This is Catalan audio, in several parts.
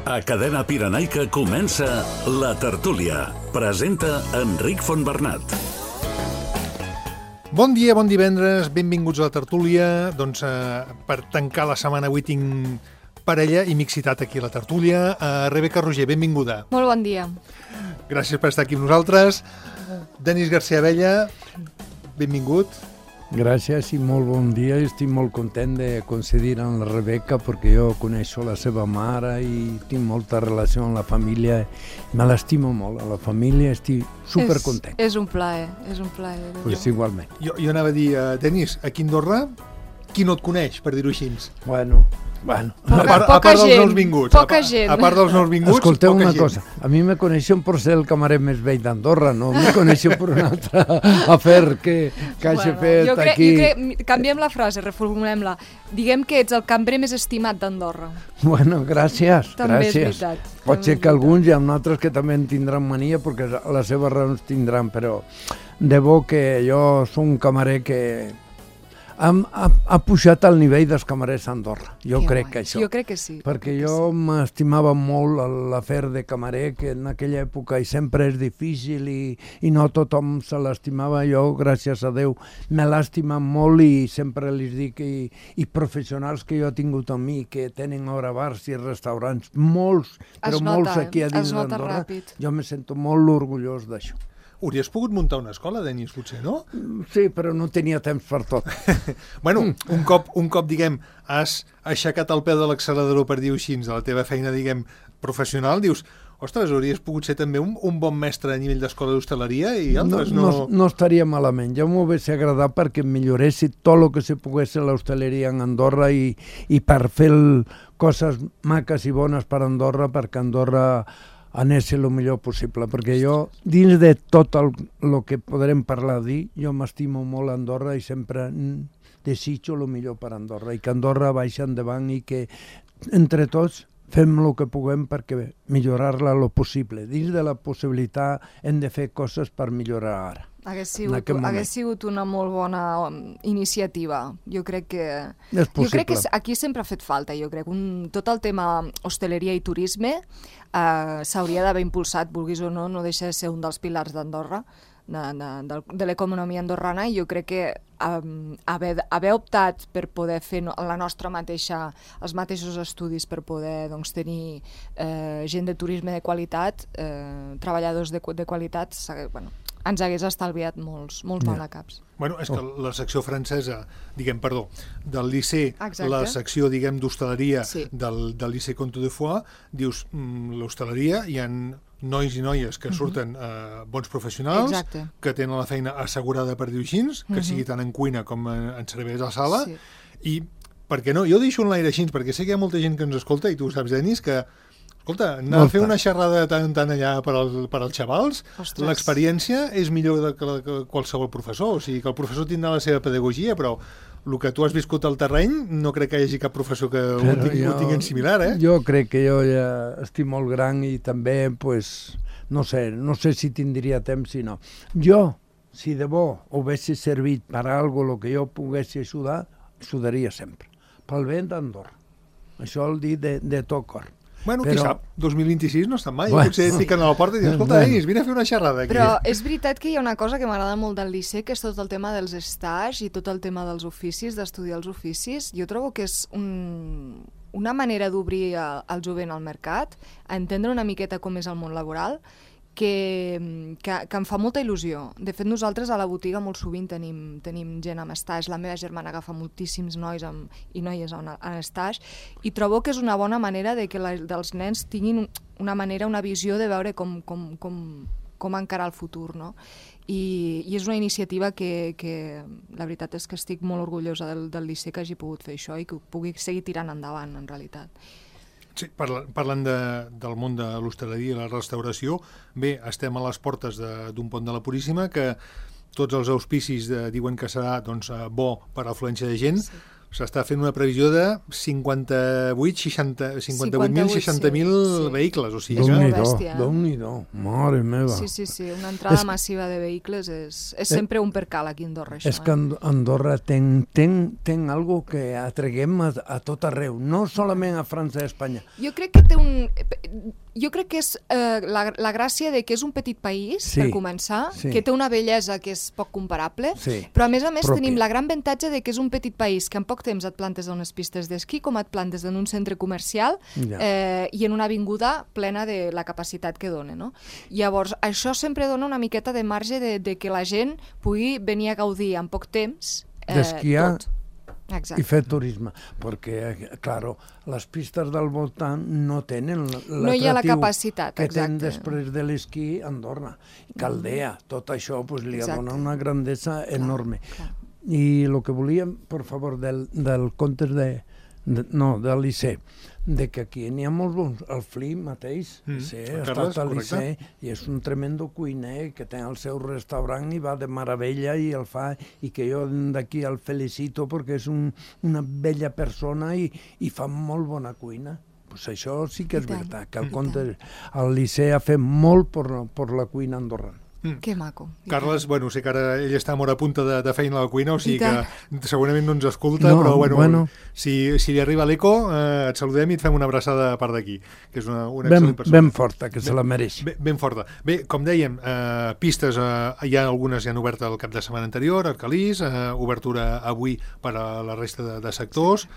A Cadena Pirenaica comença La Tertúlia. Presenta Enric Fontbernat. Bon dia, bon divendres, benvinguts a La Tertúlia. Doncs per tancar la setmana avui tinc parella i mixitat aquí a La Tertúlia. Rebeca Roger, benvinguda. Molt bon dia. Gràcies per estar aquí amb nosaltres. Denis García Abella, benvingut. Gràcies i molt bon dia. Estic molt content de coincidir amb la Rebeca perquè jo coneixo la seva mare i tinc molta relació amb la família. Me l'estimo molt, a la família estic supercontent. És un plaer, és un plaer. Pues igualment. Jo anava a dir, Denis, aquí a Andorra, qui no et coneix, per dir-ho així? Bueno. A part dels nous vinguts. Poca gent. A part dels nous vinguts, escolteu poca una gent. cosa, a mi me coneixen per ser el camarer més vell d'Andorra, no me coneixen per un altre afer que hagi fet aquí. Canviem la frase, reformulem-la. Diguem que ets el cambrer més estimat d'Andorra. Bueno, gràcies. També gràcies. és veritat. Pot ser que alguns i amb altres que també en tindran mania perquè les seves raons tindran, però de bo que jo soc un camarer que ha pujat al nivell dels camarers d'Andorra. Jo crec que això. Jo crec que sí. Perquè jo m'estimava molt l'afer de camarer, que en aquella època i sempre és difícil i no tothom se l'estimava. Jo, gràcies a Déu, me l'ha estimat molt i sempre li dic i professionals que jo he tingut amb mi, que tenen ara bars i restaurants, molts, però molts aquí a dins d'Andorra, jo me sento molt orgullós d'això. Hauries pogut muntar una escola, Denis, potser, no? Sí, però no tenia temps per tot. Bueno, un cop, diguem, has aixecat el peu de l'accelerador, per dir-ho així, de la teva feina, diguem, professional, dius, ostres, hauries pogut ser també un bon mestre a nivell d'escola d'hostaleria i altres no estaria malament. Jo m'ho hauria agradat perquè milloressi tot el que se pogués a l'hostaleria en Andorra i per fer coses maques i bones per Andorra, perquè Andorra anés el millor possible, perquè jo, dins de tot el que podrem parlar jo m'estimo molt Andorra i sempre desitjo el millor per Andorra i que Andorra vagi endavant i que entre tots fem el que puguem perquè millorar-la el possible. Dins de la possibilitat hem de fer coses per millorar ara. Hagués sigut una molt bona iniciativa. Jo crec que aquí sempre ha fet falta, jo crec. Tot el tema hostaleria i turisme s'hauria d'haver impulsat, vulguis o no, no deixa de ser un dels pilars d'Andorra, de l'economia andorrana, i jo crec que haver optat per poder fer els mateixos estudis per poder tenir gent de turisme de qualitat, treballadors de qualitat, ens hagués estalviat molts malacaps. Bueno, és que la secció francesa, del Liceu, la secció, d'hostaleria del Liceu Comte de Foix, dius, l'hostaleria hi ha nois i noies que surten bons professionals, que tenen la feina assegurada, per dir-ho així, que sigui tant en cuina com en serveis a la sala, i per què no? Jo deixo en l'aire així, perquè sé que hi ha molta gent que ens escolta, i tu ho saps, Denis, que escolta, anar a fer una xerrada tant allà per als xavals, l'experiència és millor que qualsevol professor, o sigui que el professor tindrà la seva pedagogia, però el que tu has viscut al terreny no crec que hi hagi cap professor que ho tingui similar, eh? Jo crec que jo ja estic molt gran i també, no sé si tindria temps si no. Jo, si de bo haguessi servit per a alguna cosa que jo pogués ajudar, ajudaria sempre. Pel bé d'Andorra. Això el dic de tot cor. Bueno, qui sap, 2026 no està mai. Potser et piquen a la porta i dius, escolta, Denis, vine a fer una xerrada aquí. Però és veritat que hi ha una cosa que m'agrada molt del Liceu, que és tot el tema dels stages i tot el tema dels oficis, d'estudiar els oficis. Jo trobo que és una manera d'obrir el jovent al mercat, a entendre una miqueta com és el món laboral, que em fa molta il·lusió. De fet, nosaltres a la botiga molt sovint tenim gent amb stage. La meva germana agafa moltíssims nois i noies en stage, i trobo que és una bona manera de que dels nens tinguin una visió de veure com encarar el futur, no? I és una iniciativa que la veritat és que estic molt orgullosa del Liceu que hagi pogut fer això i que pugui seguir tirant endavant, en realitat. Sí, parlant del món de l'hostaleria i la restauració, bé, estem a les portes d'un pont de la Puríssima, que tots els auspicis diuen que serà bo per a afluència de gent. s'està fent una previsió de 58.000-60.000 vehicles, o sigui que... Déu-n'hi-do, mare meva. Sí, una entrada massiva de vehicles és sempre un percal aquí a Andorra, això. És que Andorra té algo que atreguem a tot arreu, no solament a França i a Espanya. Jo crec que és la gràcia de que és un petit país, per començar, que té una bellesa que és poc comparable, però a més tenim la gran avantatge de que és un petit país que en poc temps et plantes a unes pistes d'esquí, com et plantes en un centre comercial i en una avinguda plena de la capacitat que dona, no? Llavors, això sempre dona una miqueta de marge de que la gent pugui venir a gaudir en poc temps d'esquiar tot. I fer turisme, perquè, clar, les pistes del voltant no tenen l'atractiu que tenen després de l'esquí a Andorra. Caldea, tot això li dona una grandesa enorme. I el que volíem, per favor, del conte de l'Icé, de que aquí n'hi ha molt bons. El Fli mateix, ha estat a l'Icé i és un tremendo cuiner que té el seu restaurant i va de meravella i el fa, i que jo d'aquí el felicito perquè és una bella persona i fa molt bona cuina. Pues això sí que és veritat, que el Licea ha fet molt per la cuina andorrana. Que maco. Carles, bueno, sé que ara ell està molt a punta de feina a la cuina, o sigui que segurament no ens escolta, però bueno, si li arriba l'eco, et saludem i et fem una abraçada a part d'aquí, que és una excel·lent persona. Ben forta, que se la mereix. Ben forta. Bé, com dèiem, pistes, algunes ja han obert el cap de setmana anterior, Arcalís, obertura avui per a la resta de sectors,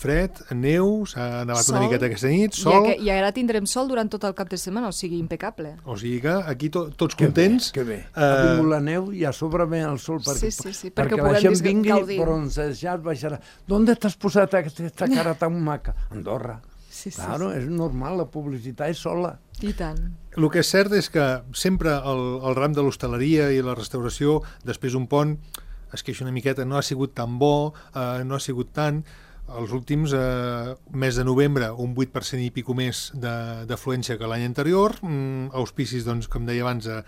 fred, neu, s'ha nevat una miqueta aquesta nit, sol... I ara tindrem sol durant tot el cap de setmana, o sigui, impecable. O sigui que aquí tots contents. Que bé. Ha vingut la neu i a sobre ve el sol perquè la gent vingui bronzejat, baixarà. ¿D'on t'has posat aquesta cara tan maca? Andorra. Claro, és normal, la publicitat és sola. I tant. El que és cert és que sempre el ram de l'hostaleria i la restauració, després d'un pont, es queixa una miqueta, no ha sigut tan bo, no ha sigut tant... Els últims mes de novembre, un 8% i pico més d'afluència que l'any anterior, auspicis, doncs, com deia abans, de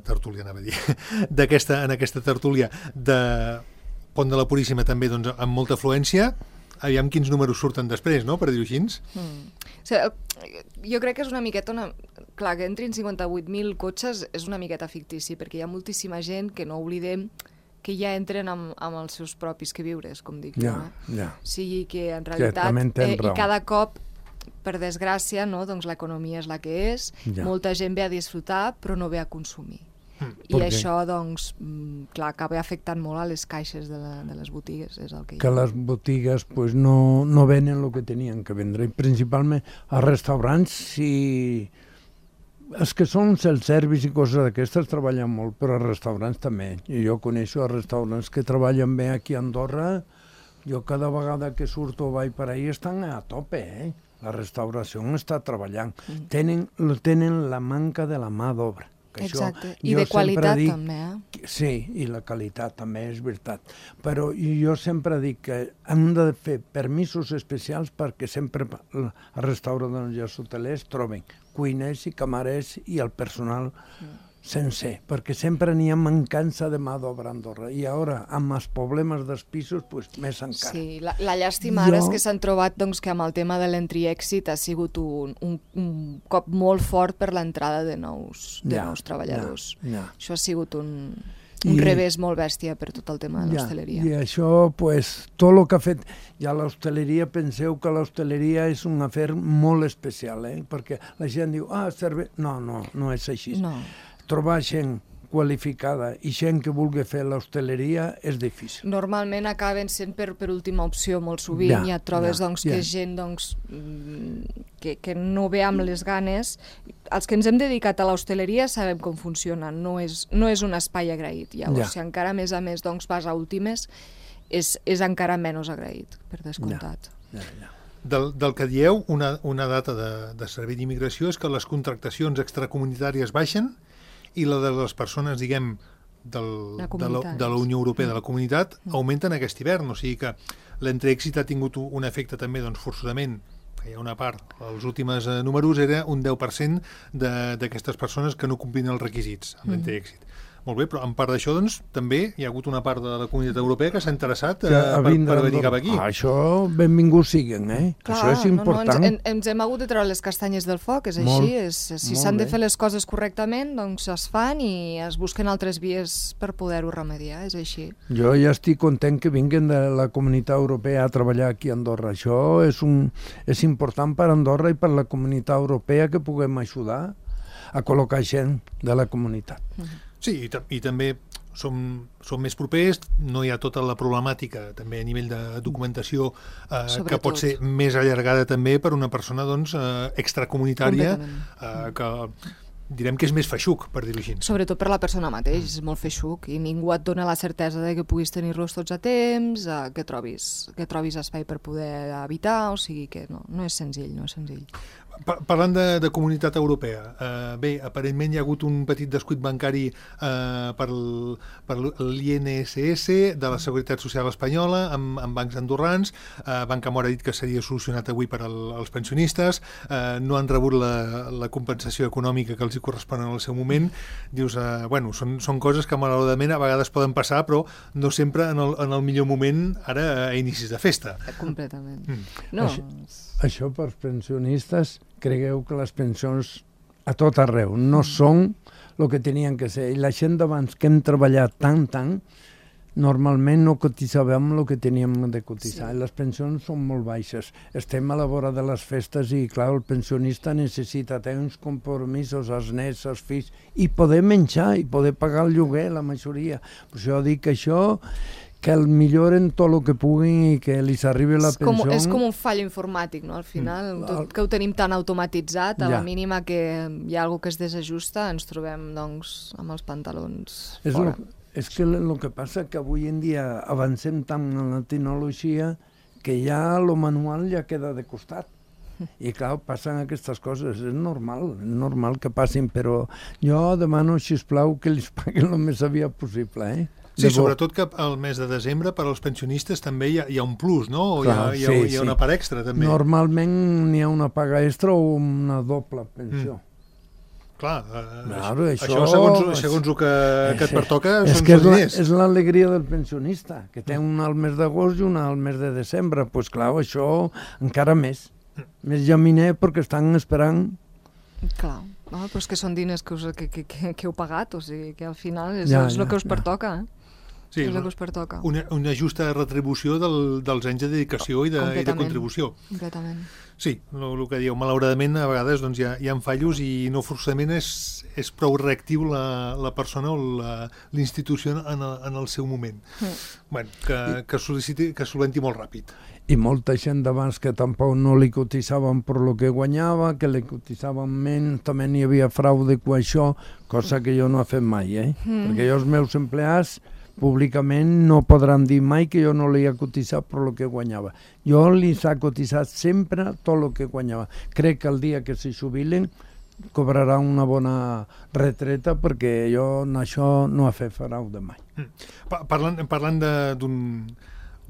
tertúlia, anava a dir, en aquesta tertúlia de Pont de la Puríssima també, doncs, amb molta afluència. Aviam quins números surten després, no?, per dir-ho així. Jo crec que és una miqueta... Clar, que entrin 58.000 cotxes és una miqueta fictici, perquè hi ha moltíssima gent que no oblidem que ja entren amb els seus propis queviures, com dic jo. O sigui que, en realitat, i cada cop, per desgràcia, doncs l'economia és la que és, molta gent ve a disfrutar, però no ve a consumir. I això, doncs, clar, acaba afectant molt a les caixes de les botigues, és el que hi ha. Que les botigues no venen el que tenien que vendre, i principalment als restaurants, si... Els que són self-service i coses d'aquestes treballen molt, però els restaurants també. I jo coneixo els restaurants que treballen bé aquí a Andorra. Jo cada vegada que surto o vaig per ahí estan a tope, La restauració està treballant. Tenen la manca de la mà d'obra. Exacte, i de qualitat també, Sí, i la qualitat també, és veritat. Però jo sempre dic que hem de fer permisos especials perquè sempre els restauradors i els hotelers troben cuiners i camarers i el personal sencer, perquè sempre n'hi ha mancança de mà d'obra a Andorra. I ara, amb els problemes dels pisos, més encara. Sí, la llàstima ara és que s'han trobat que amb el tema de l'entry-exit ha sigut un cop molt fort per l'entrada de nous treballadors. Això ha sigut un revés molt bèstia per tot el tema de l'hostaleria. I això, tot el que ha fet... Ja l'hostaleria, penseu que l'hostaleria és un afer molt especial, perquè la gent diu, no és així. Trobar gent qualificada i gent que vulgui fer l'hostaleria és difícil. Normalment acaben sent per última opció molt sovint, i et trobes que és gent que no ve amb les ganes. Els que ens hem dedicat a l'hostaleria sabem com funciona, no és un espai agraït. Llavors, si encara a més vas a últimes, és encara menys agraït, per descomptat. Del que dieu, una data de servei d'immigració és que les contractacions extracomunitàries baixen i la de les persones, diguem, de la Unió Europea, de la comunitat, augmenten aquest hivern. O sigui que l'entreèxit ha tingut un efecte també, forçosament, que hi ha una part, els últims números era un 10% d'aquestes persones que no complien els requisits amb l'entreèxit. Molt bé, però en part d'això, doncs, també hi ha hagut una part de la Comunitat Europea que s'ha interessat per venir cap aquí. Això, benvinguts siguen, Clar, això és important. Ens hem hagut de treure les castanyes del foc, és així. Si s'han de fer les coses correctament, doncs es fan i es busquen altres vies per poder-ho remediar, és així. Jo ja estic content que vinguin de la Comunitat Europea a treballar aquí a Andorra. Això és important per Andorra i per la Comunitat Europea que puguem ajudar a col·locar gent de la comunitat. Sí, i també som més propers, no hi ha tota la problemàtica també a nivell de documentació que pot ser més allargada també per una persona doncs, extracomunitària que direm que és més feixuc, per dir-ho així. Sobretot per la persona mateix, és molt feixuc i ningú et dona la certesa de que puguis tenir-los tots a temps, que trobis espai per poder habitar, o sigui que no és senzill, no és senzill. Parlant de Comunitat Europea, bé, aparentment hi ha hagut un petit descuit bancari per l'INSS de la Seguretat Social Espanyola amb bancs andorrans. Banca Mor ha dit que seria solucionat avui per als pensionistes. No han rebut la compensació econòmica que els hi correspon en el seu moment. Dius, bueno, són coses que malauradament a vegades poden passar, però no sempre en el millor moment ara a inicis de festa. Completament. No. Això per pensionistes, cregueu que les pensions a tot arreu no són el que tenien que ser. I la gent d'abans que hem treballat tant, normalment no cotitzàvem el que teníem de cotitzar. Sí. Les pensions són molt baixes. Estem a la vora de les festes i, clar, el pensionista necessita tenir uns compromisos, els nets, els fills, i poder menjar i poder pagar el lloguer, la majoria. Per això dic que això que el milloren tot el que puguin i que els arribi la pensió. És com un fallo informàtic, no? Al final, tot que ho tenim tan automatitzat, a la mínima que hi ha alguna que es desajusta, ens trobem, doncs, amb els pantalons fora. És que el que passa que avui en dia avancem tant en la tecnologia que ja el manual ja queda de costat. I clar, passen aquestes coses, és normal que passin, però jo demano, sisplau, que els paguin el més aviat possible, Sí, sobretot que al mes de desembre per als pensionistes també hi ha un plus, no? O hi ha una part extra, també. Normalment n'hi ha una paga extra o una doble pensió. Clar, això segons el que et pertoca són diners. És l'alegria del pensionista, que té una al mes d'agost i una al mes de desembre. Doncs clar, això encara més. Més llaminer perquè estan esperant. Clar. Però és que són diners que heu pagat, o sigui que al final és el que us pertoca, Sí, és el que us pertoca. Una justa retribució dels anys de dedicació i de contribució. Completament. Sí, el que dieu, malauradament a vegades doncs, hi ha fallos i no forçament és prou reactiu la persona o l'institució en el seu moment. Bueno, que solventi molt ràpid. I molta gent d'abans que tampoc no li cotitzaven per lo que guanyava, que li cotitzaven menys, també n'hi havia fraude amb això, cosa que jo no he fet mai, perquè jo els meus empleats públicament no podran dir mai que jo no li he cotitzat per lo que guanyava. Jo li he cotitzat sempre tot el que guanyava. Crec que el dia que se jubilen cobrarà una bona retreta perquè jo en això no he fet fraude mai. Parlant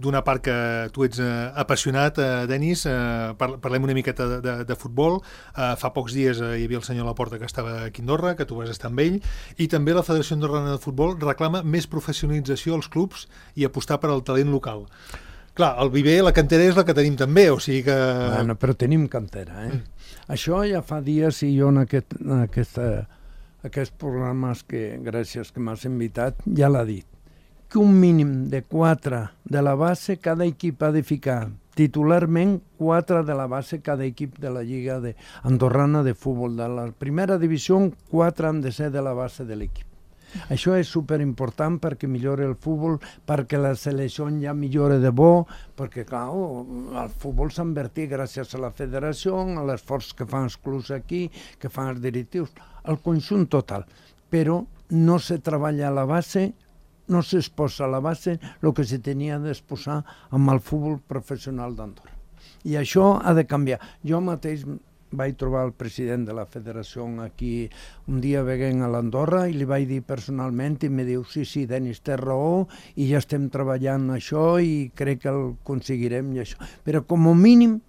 d'una part que tu ets apassionat, Denis, parlem una miqueta de futbol. Fa pocs dies hi havia el senyor Laporta que estava aquí a Andorra, que tu vas estar amb ell, i també la Federació Andorrana de Futbol reclama més professionalització als clubs i apostar per al talent local. Clar, el viver, la cantera és la que tenim també, o sigui que... Bueno, però tenim cantera, Això ja fa dies i jo en aquests programes que, gràcies que m'has invitat, ja l'ha dit, que un mínim de 4 de la base cada equip ha de ficar titularment 4 de la base cada equip de la Lliga Andorrana de Futbol. De la primera divisió, 4 han de ser de la base de l'equip. Això és superimportant perquè millora el futbol, perquè la selecció ja millora de bo, perquè clar, el futbol s'ha invertit gràcies a la federació, a l'esforç que fan els clubs aquí, que fan els directius, el conjunt total. Però no se treballa a la base, no s'exposa a la base el que se tenia d'exposar amb el futbol professional d'Andorra. I això ha de canviar. Jo mateix vaig trobar el president de la federació aquí un dia veient a l'Andorra i li vaig dir personalment i em diu, sí, Denis, té raó i ja estem treballant això i crec que el aconseguirem i això. Però com a mínim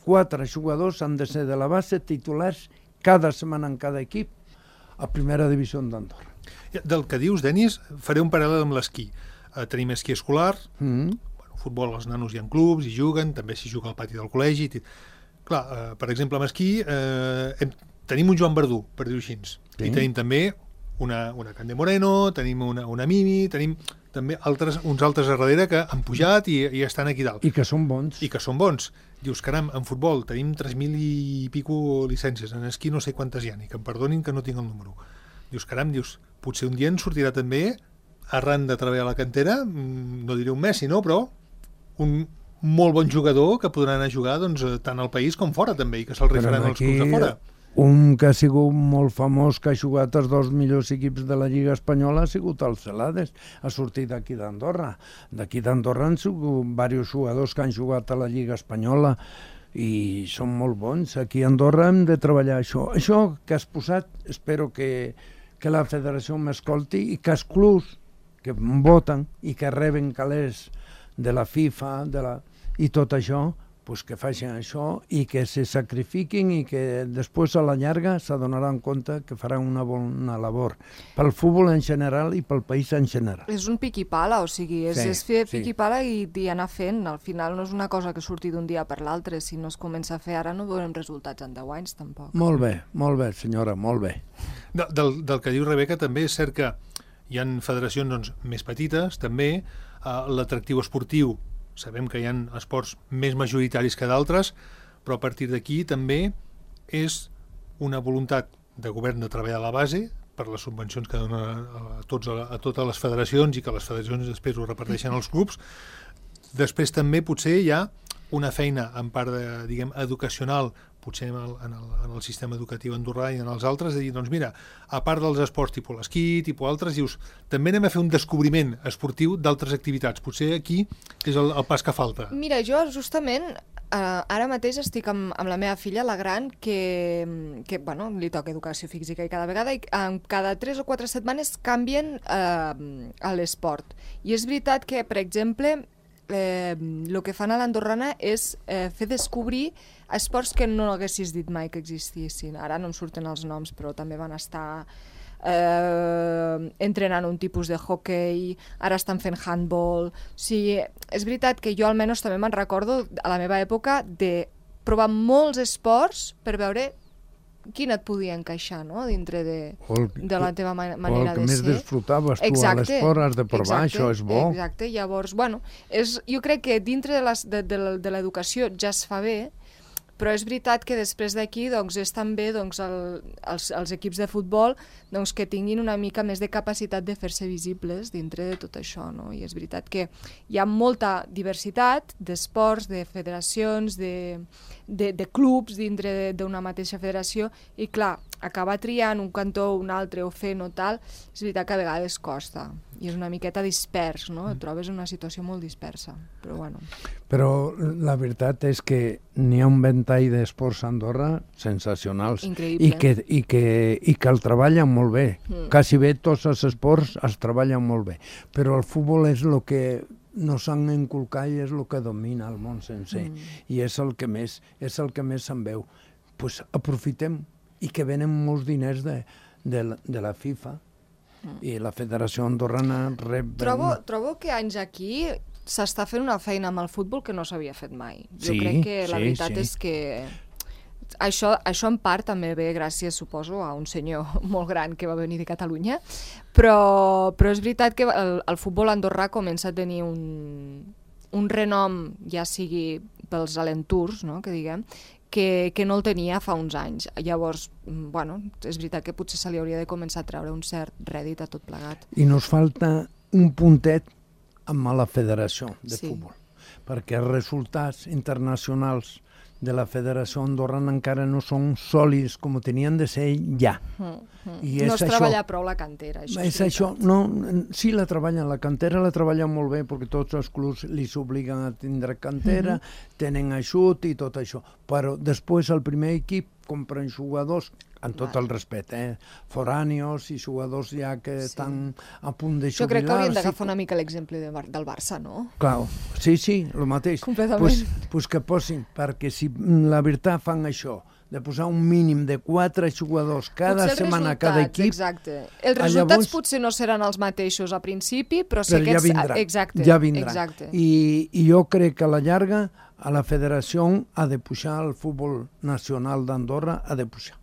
4 jugadors han de ser de la base titulars cada setmana en cada equip a primera divisió d'Andorra. Del que dius, Denis, faré un paral·lel amb l'esquí. Tenim esquí escolar, futbol, els nanos hi ha clubs, hi juguen, també s'hi juga al pati del col·legi. Clar, per exemple, amb esquí tenim un Joan Verdú, per dir-ho així, i tenim també una Cande Moreno, tenim una Mimi, tenim també uns altres a darrere que han pujat i estan aquí dalt. I que són bons. Dius, caram, en futbol tenim 3.000 i pico llicències, en esquí no sé quantes hi ha, i que em perdonin que no tinc el número. Dius, caram, potser un dia ens sortirà també, arran de treballar a la cantera, no diré un Messi, no, però un molt bon jugador que podrà anar a jugar tant al país com fora també, i que se'l rifaran els clubs de fora. Un que ha sigut molt famós, que ha jugat els 2 millors equips de la Lliga Espanyola, ha sigut el Celades, ha sortit d'aquí d'Andorra. D'aquí d'Andorra han sigut diversos jugadors que han jugat a la Lliga Espanyola i són molt bons. Aquí a Andorra hem de treballar això. Això que has posat, espero que la federació m'escolti i que els clubs que voten i que reben calés de la FIFA i tot això, pues que facin això i que se sacrifiquin i que després a la llarga s'adonaran compte que faran una bona labor pel futbol en general i pel país en general. És un pic i pala, o sigui, és fer pic i pala i anar fent. Al final no és una cosa que surti d'un dia per l'altre. Si no es comença a fer ara no veurem resultats en 10 anys, tampoc. Molt bé, senyora, molt bé. Del que diu Rebeca, també és cert que hi ha federacions més petites, també l'atractiu esportiu. Sabem que hi ha esports més majoritaris que d'altres, però a partir d'aquí també és una voluntat de govern de treballar a la base per les subvencions que dona a totes les federacions i que les federacions després ho reparteixen als clubs. Després també potser hi ha una feina en part educacional, potser en el sistema educatiu andorrà i en els altres, de dir, doncs mira, a part dels esports tipus l'esquí, tipus altres, dius, també anem a fer un descobriment esportiu d'altres activitats. Potser aquí és el pas que falta. Mira, jo justament ara mateix estic amb la meva filla, la gran, que li toca educació física i cada vegada, cada 3 o 4 setmanes canvien a l'esport. I és veritat que, per exemple, el que fan a l'Andorrana és fer descobrir esports que no haguessis dit mai que existissin. Ara no em surten els noms, però també van estar entrenant un tipus de hockey, ara estan fent handball. O sigui, és veritat que jo almenys també me'n recordo a la meva època de provar molts esports per veure quin et podia encaixar, no?, dintre de la teva manera de ser. O el que més disfrutaves tu a l'esport has de provar, això és bo. Exacte, llavors, jo crec que dintre de l'educació ja es fa bé, però és veritat que després d'aquí és també els equips de futbol que tinguin una mica més de capacitat de fer-se visibles dintre de tot això, no? I és veritat que hi ha molta diversitat d'esports, de federacions, de clubs dintre d'una mateixa federació i, clar, acabar triant un cantó o un altre o fent o tal, és veritat que a vegades costa i és una miqueta dispers, no? Et trobes en una situació molt dispersa, però bueno. Però la veritat és que n'hi ha un ventall d'esports a Andorra sensacionals. Increïble. I que el treballen molt bé. Quasi bé tots els esports els treballen molt bé. Però el futbol és el que nos han inculcat i és el que domina el món sencer. I és el que més se'n veu. Pues aprofitem i que venen molts diners de la FIFA i la Federació Andorrana rep... Trobo que anys aquí s'està fent una feina amb el futbol que no s'havia fet mai. Jo crec que la veritat és que això en part també ve gràcies, suposo, a un senyor molt gran que va venir de Catalunya, però és veritat que el futbol andorrà comença a tenir un renom, ja sigui pels alentours, no?, que diguem, que no el tenia fa uns anys. Llavors, és veritat que potser se li hauria de començar a treure un cert rèdit a tot plegat. I nos falta un puntet amb la federació de futbol, perquè els resultats internacionals de la Federació Andorrana encara no són sòlids com tenien de ser ja. I no es treballa prou la cantera. Sí, la treballen, la cantera la treballen molt bé perquè tots els clubs li s'obliguen a tindre cantera, tenen ajut i tot això, però després el primer equip compren jugadors, amb tot el respecte, forànios i jugadors ja que estan a punt de jubilar. Jo crec que hauríem d'agafar una mica l'exemple del Barça, no? Clar, sí, el mateix. Completament. Pues que posin, perquè si la veritat fan això, de posar un mínim de 4 jugadors cada setmana a cada equip. Exacte. Els resultats potser no seran els mateixos a principi, però sí que... ja vindran. Exacte. Ja vindran. Exacte. I jo crec que a la llarga a la federació ha de pujar el futbol nacional d'Andorra, ha de pujar.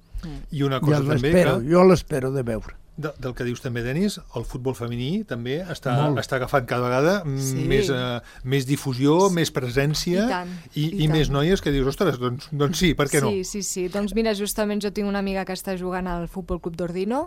I una cosa també que... Jo l'espero de veure. Del que dius també, Denis, el futbol femení també està agafant cada vegada més difusió, més presència i més noies que dius, ostres, doncs sí, per què no? Sí. Doncs mira, justament jo tinc una amiga que està jugant al Futbol Club d'Ordino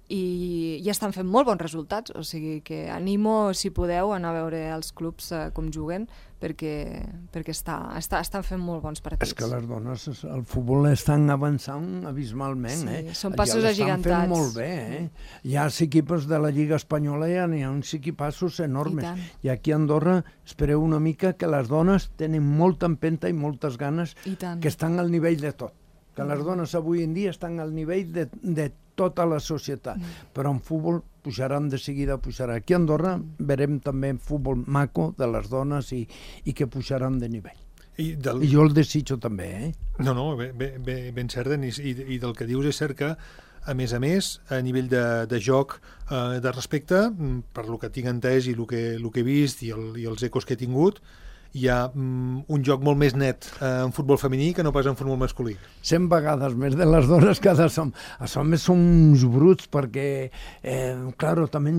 i estan fent molt bons resultats, o sigui que animo, si podeu, a anar a veure els clubs com juguen, perquè estan fent molt bons partits. És que les dones al futbol estan avançant abismalment. Són passos agigantats. Ja l'estan fent molt bé. Hi ha equipos de la Lliga Espanyola, hi ha uns equipassos enormes. I aquí a Andorra espereu una mica que les dones tenen molta empenta i moltes ganes, que estan al nivell de tot. Que les dones avui en dia estan al nivell de tota la societat, però en futbol pujaran de seguida, pujarà. Aquí a Andorra verem també futbol maco de les dones i que pujaran de nivell. I jo el desitjo també, No, ben cert, Denis, i del que dius és cert que, a més, a nivell de joc, de respecte, per lo que tinc entès i el que he vist i els ecos que he tingut, hi ha un joc molt més net en futbol femení que no pas en futbol masculí. 100 vegades més de les dones que els homes són uns bruts perquè, clar, també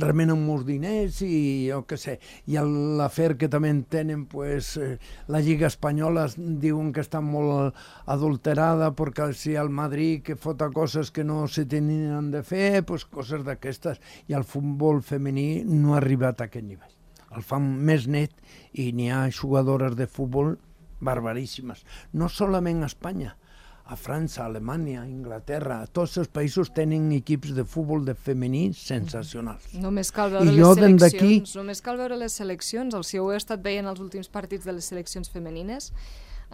remenen molts diners i jo què sé, i l'afer que també tenen, la Lliga Espanyola diuen que està molt adulterada perquè si el Madrid que fota coses que no se tenien de fer, coses d'aquestes, i el futbol femení no ha arribat a aquest nivell. El fan més net i n'hi ha jugadores de futbol barbaríssimes. No solament a Espanya, a França, a Alemanya, a Inglaterra, tots els països tenen equips de futbol de femení sensacionals. Només cal veure les seleccions. Si ho he estat veient els últims partits de les seleccions femenines,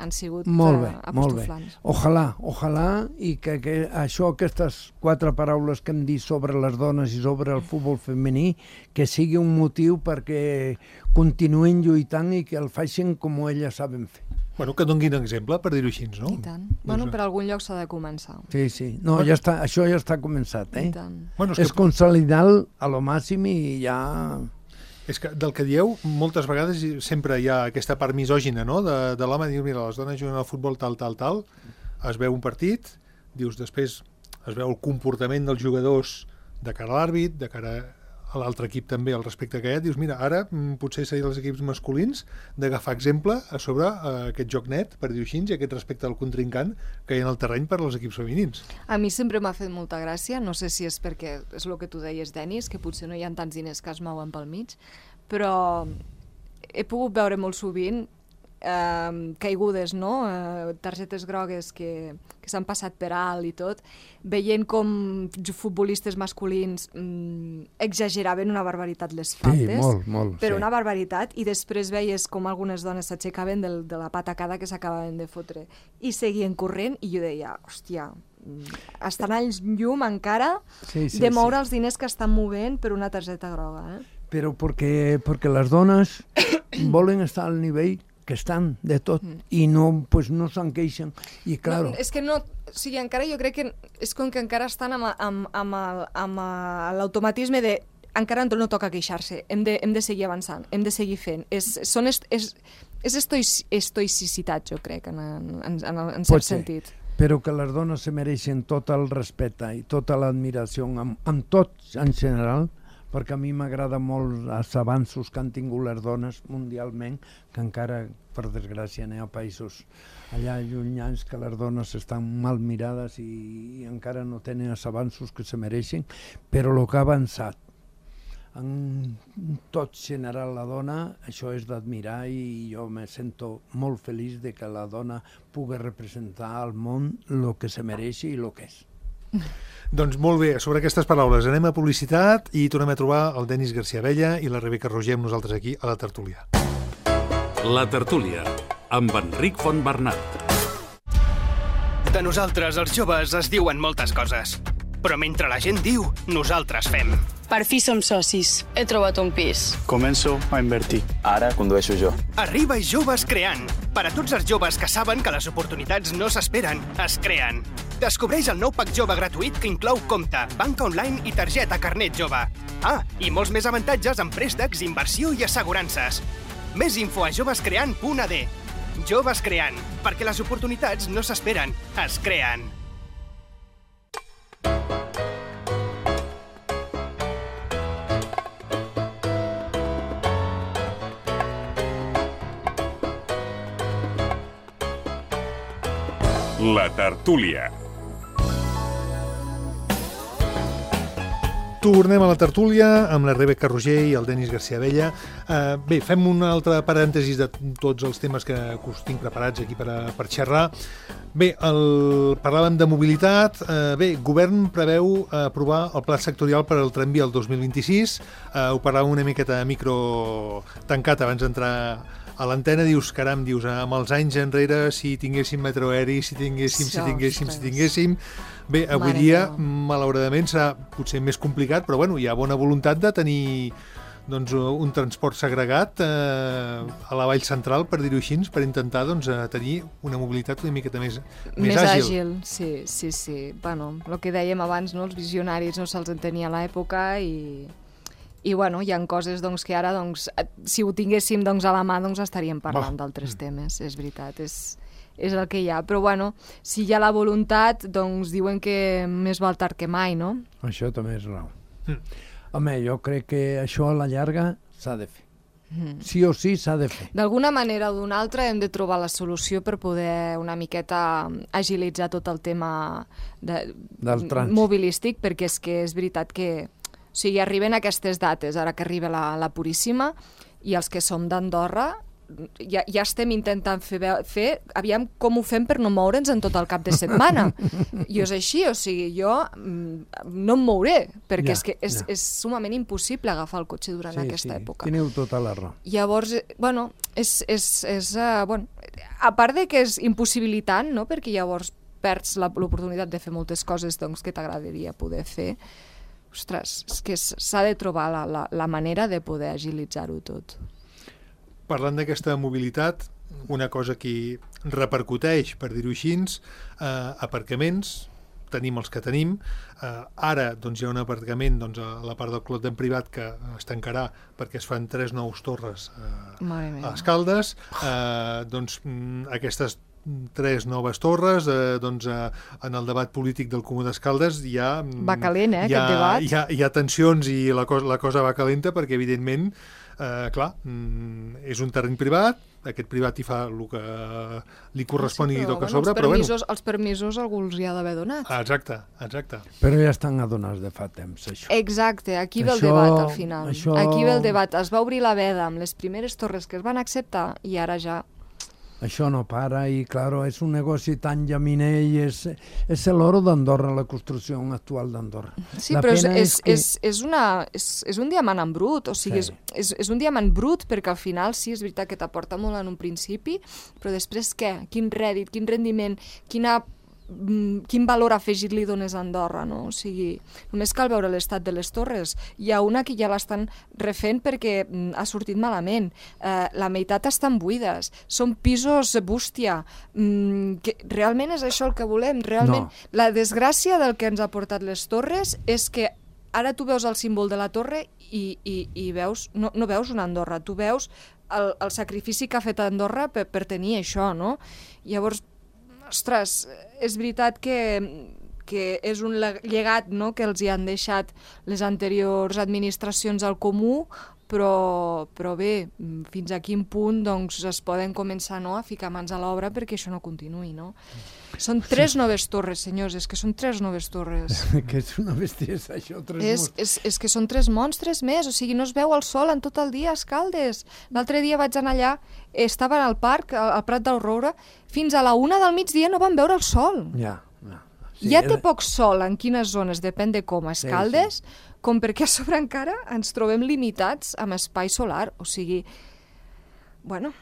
han sigut apostoflants. Ojalà, i que aquestes 4 paraules que hem dit sobre les dones i sobre el futbol femení, que sigui un motiu perquè continuïn lluitant i que el facin com elles saben fer. Bueno, que donguin exemple, per dir-ho així, no? I tant. Bueno, per algun lloc s'ha de començar. Sí. No, això ja està començat, És consolidar a lo màxim i ja... És que del que dieu, moltes vegades sempre hi ha aquesta part misògina, no?, de l'home, diu, mira, les dones juguen al futbol tal, es veu un partit, dius, després es veu el comportament dels jugadors de cara a l'àrbit, de cara a l'altre equip també, al respecte que hi ha, dius, mira, ara potser serien els equips masculins d'agafar exemple a sobre aquest joc net, per dir-ho així, i aquest respecte al contrincant que hi ha en el terreny per als equips femenins. A mi sempre m'ha fet molta gràcia, no sé si és perquè és el que tu deies, Denis, que potser no hi ha tants diners que es mouen pel mig, però he pogut veure molt sovint caigudes, no? Targetes grogues que s'han passat per alt i tot, veient com futbolistes masculins exageraven una barbaritat les faltes, però una barbaritat, i després veies com algunes dones s'aixecaven de la patacada que s'acabaven de fotre i seguien corrent, i jo deia, hòstia, estan al llum encara de moure els diners que estan movent per una targeta groga. Però perquè les dones volen estar al nivell que estan de tot i no se'n queixen. I clar... És que no... O sigui, encara jo crec que és com que encara estan amb l'automatisme de encara no toca queixar-se, hem de seguir avançant, hem de seguir fent. És estoïcitat, jo crec, en cert sentit. Però que les dones se mereixen tot el respecte i tota l'admiració amb tots en general, perquè a mi m'agrada molt els avanços que han tingut les dones mundialment, que encara, per desgràcia, n'hi ha països allà llunyans que les dones estan mal mirades i encara no tenen els avanços que se mereixen, però el que ha avançat en tot general la dona, això és d'admirar, i jo me sento molt feliç de que la dona pugui representar al món el que se mereix i el que és. Doncs molt bé, sobre aquestes paraules anem a publicitat i tornem a trobar el Denis García Abella i la Rebeca Roger amb nosaltres aquí a la tertúlia. La tertúlia, amb Enric Fontbernat. De nosaltres, els joves, es diuen moltes coses. Però mentre la gent diu, nosaltres fem. Per fi som socis. He trobat un pis. Començo a invertir. Ara condueixo jo. Arriba Joves Creant. Per a tots els joves que saben que les oportunitats no s'esperen, es creen. Descobreix el nou pack jove gratuït que inclou compte, banca online i targeta carnet jove. Ah, i molts més avantatges en préstecs, inversió i assegurances. Més info a jovescreant.ad. Joves Creant, perquè les oportunitats no s'esperen, es creen. La tertúlia. Tornem a la tertúlia amb la Rebeca Roger i el Denis García Abella. Bé, fem un altre parèntesis de tots els temes que us tinc preparats aquí per xerrar. Bé, parlàvem de mobilitat. Bé, govern preveu aprovar el pla sectorial per al tramvia el 2026. Ho parlàvem una miqueta micro tancat abans d'entrar a l'antena. Dius, caram, amb els anys enrere, si tinguéssim metro aeri, si tinguéssim... Bé, avui dia, malauradament, serà potser més complicat, però bueno, hi ha bona voluntat de tenir un transport segregat a la vall central, per dir-ho així, per intentar tenir una mobilitat una miqueta més àgil. Sí. Bueno, el que dèiem abans, els visionaris no se'ls entenia a l'època i bueno, hi ha coses que ara, si ho tinguéssim a la mà, estaríem parlant d'altres temes, és veritat, és el que hi ha. Però bueno, si hi ha la voluntat, diuen que més val tard que mai, no? Això també és raó. Home, jo crec que això a la llarga s'ha de fer. Sí o sí s'ha de fer. D'alguna manera o d'una altra hem de trobar la solució per poder una miqueta agilitzar tot el tema del trànsit mobilístic, perquè és que és veritat que arriben aquestes dates, ara que arriba la Puríssima, i els que som d'Andorra ja estem intentant fer, aviam com ho fem per no moure'ns en tot el cap de setmana. I és així, jo no em mouré, perquè és sumament impossible agafar el cotxe durant aquesta època. Teniu tota la raó. Llavors, bueno, a part de que és impossibilitant, no? Perquè llavors perds l'oportunitat de fer moltes coses que t'agradaria poder fer. Ostres, és que s'ha de trobar la manera de poder agilitzar-ho tot. Parlant d'aquesta mobilitat, una cosa que repercuteix, per dir-ho així, aparcaments, tenim els que tenim. Ara hi ha un aparcament a la part del Clot d'en Privat que es tancarà perquè es fan 3 nous torres a Escaldes. Aquestes 3 noves torres, en el debat polític del Comú d'Escaldes va calent, aquest debat. Hi ha tensions i la cosa va calenta perquè, evidentment, clar, és un terreny privat, aquest privat hi fa el que li correspon i toca a sobre, però bueno... Els permisos algú els hi ha d'haver donat. Exacte. Però ja estan adonats de fa temps, això. Exacte, aquí ve el debat al final. Aquí ve el debat. Es va obrir la veda amb les primeres torres que es van acceptar i ara ja... Això no para i, claro, és un negoci tan llaminer i és l'oro d'Andorra, la construcció actual d'Andorra. Sí, però és un diamant en brut, o sigui, és un diamant brut perquè al final sí, és veritat que t'aporta molt en un principi, però després què? Quin rèdit, quin rendiment, quin valor afegit li dones a Andorra, no? O sigui, només cal veure l'estat de les torres. Hi ha una que ja l'estan refent perquè ha sortit malament. La meitat estan buides. Són pisos bústia. Realment és això el que volem? Realment, la desgràcia del que ens ha portat les torres és que ara tu veus el símbol de la torre i veus, no veus una Andorra, tu veus el sacrifici que ha fet Andorra per tenir això, no? Llavors, ostres, és veritat que és un llegat, no?, que els hi han deixat les anteriors administracions al comú, però bé, fins a quin punt es poden començar a ficar mans a l'obra perquè això no continuï, no? Són 3 noves torres, senyors, és que són 3 noves torres. Que és una bestiesa, això, 3 monstres. És que són 3 monstres més, o sigui, no es veu el sol en tot el dia a Escaldes. L'altre dia vaig anar allà, estava al parc, al Prat del Roure, fins a la 1 del migdia no van veure el sol. Ja té poc sol en quines zones, depèn de com, a Escaldes, com perquè a sobre encara ens trobem limitats amb espai solar, o sigui, bueno,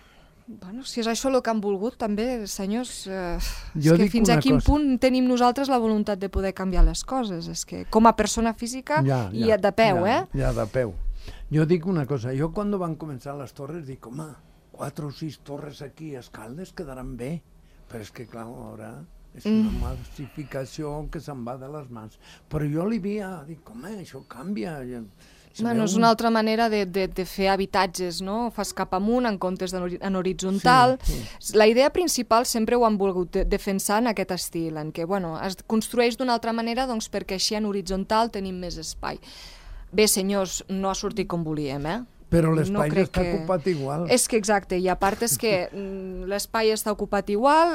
Bueno, si és això el que han volgut, també, senyors, és que fins a quin punt tenim nosaltres la voluntat de poder canviar les coses? És que com a persona física i de peu, Ja, de peu. Jo dic una cosa, jo quan van començar les torres dic, home, 4 o 6 torres aquí a Escaldes quedaran bé, però és que clar, ara és una massificació que se'n va de les mans. Però jo li havia dit, home, això canvia. Bueno, és una altra manera de fer habitatges, no? Fas cap amunt en comptes en horitzontal. Sí. La idea principal sempre ho han volgut defensar en aquest estil, en què, bueno, es construeix d'una altra manera doncs, perquè així en horitzontal tenim més espai. Bé, senyors, no ha sortit com volíem, Però l'espai està ocupat igual. És que exacte, i a part és que l'espai està ocupat igual,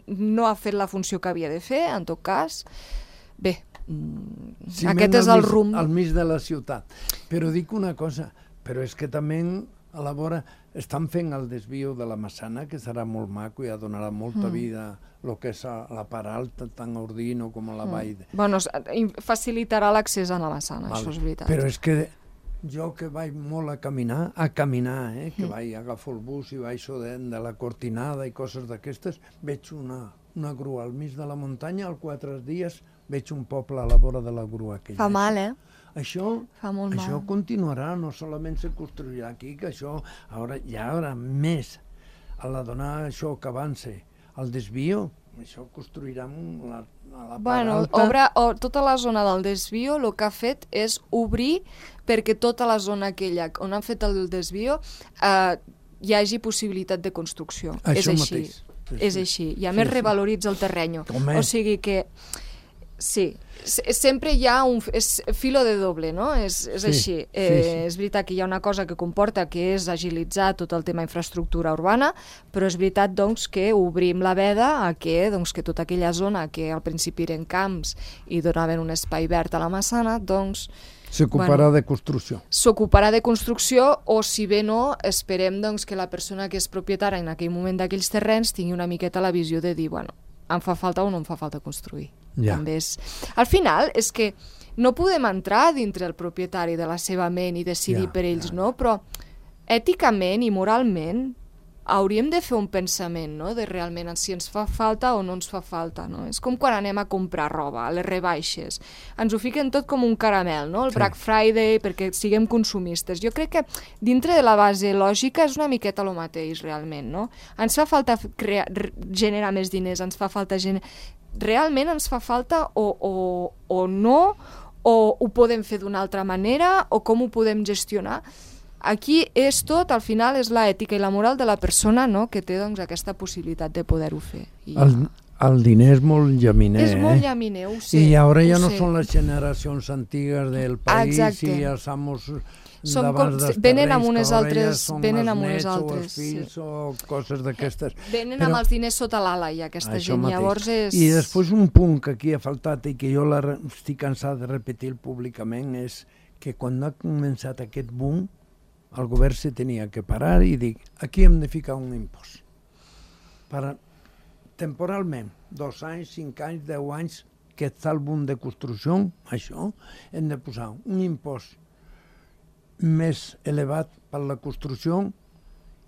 no ha fet la funció que havia de fer, en tot cas. Bé, aquest és el rumb. Al mig de la ciutat. Però dic una cosa, però és que també a la vora estan fent el desvio de la Massana, que serà molt maco i ja donarà molta vida el que és a la part alta, tant a Ordino com a la vall. Bueno, facilitarà l'accés a la Massana, això és veritat. Però és que jo que vaig molt a caminar, que vaig agafar el bus i vaig de la Cortinada i coses d'aquestes, veig una grua al mig de la muntanya, als 4 dies veig un poble a la vora de la grua aquella. Fa mal, Això continuarà, no solament se construirà aquí, que això hi haurà més. A la donar això que avança, el desvio, això construirà a la part alta. Tota la zona del desvio el que ha fet és obrir perquè tota la zona aquella on han fet el desvio hi hagi possibilitat de construcció. Això mateix. És així. I a més revaloritza el terreny. O sigui que sí, sempre hi ha un filo de doble, no? És així. És veritat que hi ha una cosa que comporta que és agilitzar tot el tema infraestructura urbana, però és veritat doncs, que obrim la veda a que tota aquella zona que al principi eren camps i donaven un espai verd a la Massana, doncs s'ocuparà de construcció. S'ocuparà de construcció o, si bé no, esperem que la persona que és propietària en aquell moment d'aquells terrenys tingui una miqueta la visió de dir, bueno, em fa falta o no em fa falta construir. També és... Al final és que no podem entrar dintre el propietari de la seva ment i decidir per ells, no? Però èticament i moralment hauríem de fer un pensament, no? De realment si ens fa falta o no ens fa falta, no? És com quan anem a comprar roba, a les rebaixes. Ens ho fiquen tot com un caramel, no? El Black Friday, perquè siguem consumistes. Jo crec que dintre de la base lògica és una miqueta el mateix, realment, no? Ens fa falta generar més diners, ens fa falta realment ens fa falta o no, o ho podem fer d'una altra manera, o com ho podem gestionar. Aquí és tot, al final és l'ètica i la moral de la persona, no?, que té aquesta possibilitat de poder-ho fer. El diner és molt llaminer. És molt llaminer, ho sé. I ara ja no són les generacions antigues del país i els amos d'abans dels venen amb unes altres, venen amb unes altres, o els fills o coses d'aquestes. Venen amb els diners sota l'ala i aquesta gent, llavors és... I després un punt que aquí ha faltat i que jo estic cansat de repetir públicament és que quan ha començat aquest boom el govern se tenia que parar i dir, aquí hem de ficar un impost. Temporalment, 2 anys, 5 anys, 10 anys, que està el boom de construcció, això, hem de posar un impost més elevat per la construcció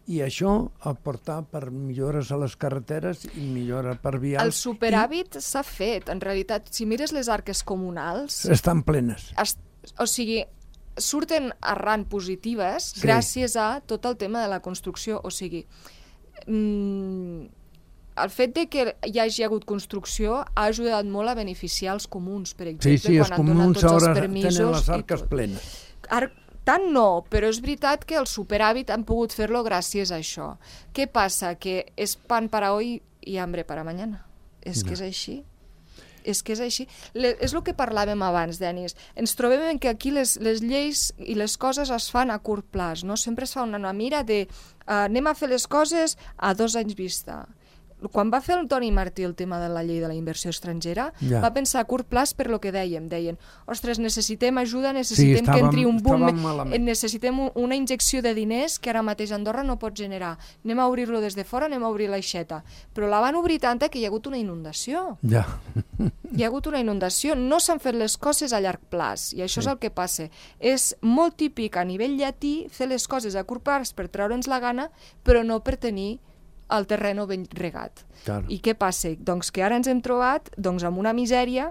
i això aportar per millores a les carreteres i millora per vials. El superàvit s'ha fet, en realitat, si mires les arques comunals... Estan plenes. O sigui, surten arran positives gràcies a tot el tema de la construcció. O sigui, el fet de que hi hagi hagut construcció ha ajudat molt a beneficiar els comuns, per exemple, quan han donat tots els permisos. Tenen les arques plenes. Tant no, però és veritat que el superàvit han pogut fer-lo gràcies a això. Què passa? Que és pan para hoy y hambre para mañana. És que és així. És que és així. És el que parlàvem abans, Denis. Ens trobem que aquí les lleis i les coses es fan a curt plaç, no? Sempre es fa una mira de anem a fer les coses a 2 anys vista. quan va fer el Toni Martí el tema de la llei de la inversió estrangera, va pensar a curt plaç per lo que dèiem. Deien, ostres, necessitem ajuda, necessitem que entri un boom, necessitem una injecció de diners que ara mateix Andorra no pot generar. Anem a obrir-lo des de fora, anem a obrir l'aixeta. Però la van obrir tanta que hi ha hagut una inundació. Ja. Hi ha hagut una inundació, no s'han fet les coses a llarg plaç, i això és el que passa. És molt típic a nivell llatí fer les coses a curt plaç per treure'ns la gana, però no per tenir el terreno ben regat. Claro. I què passa? Doncs que ara ens hem trobat amb una misèria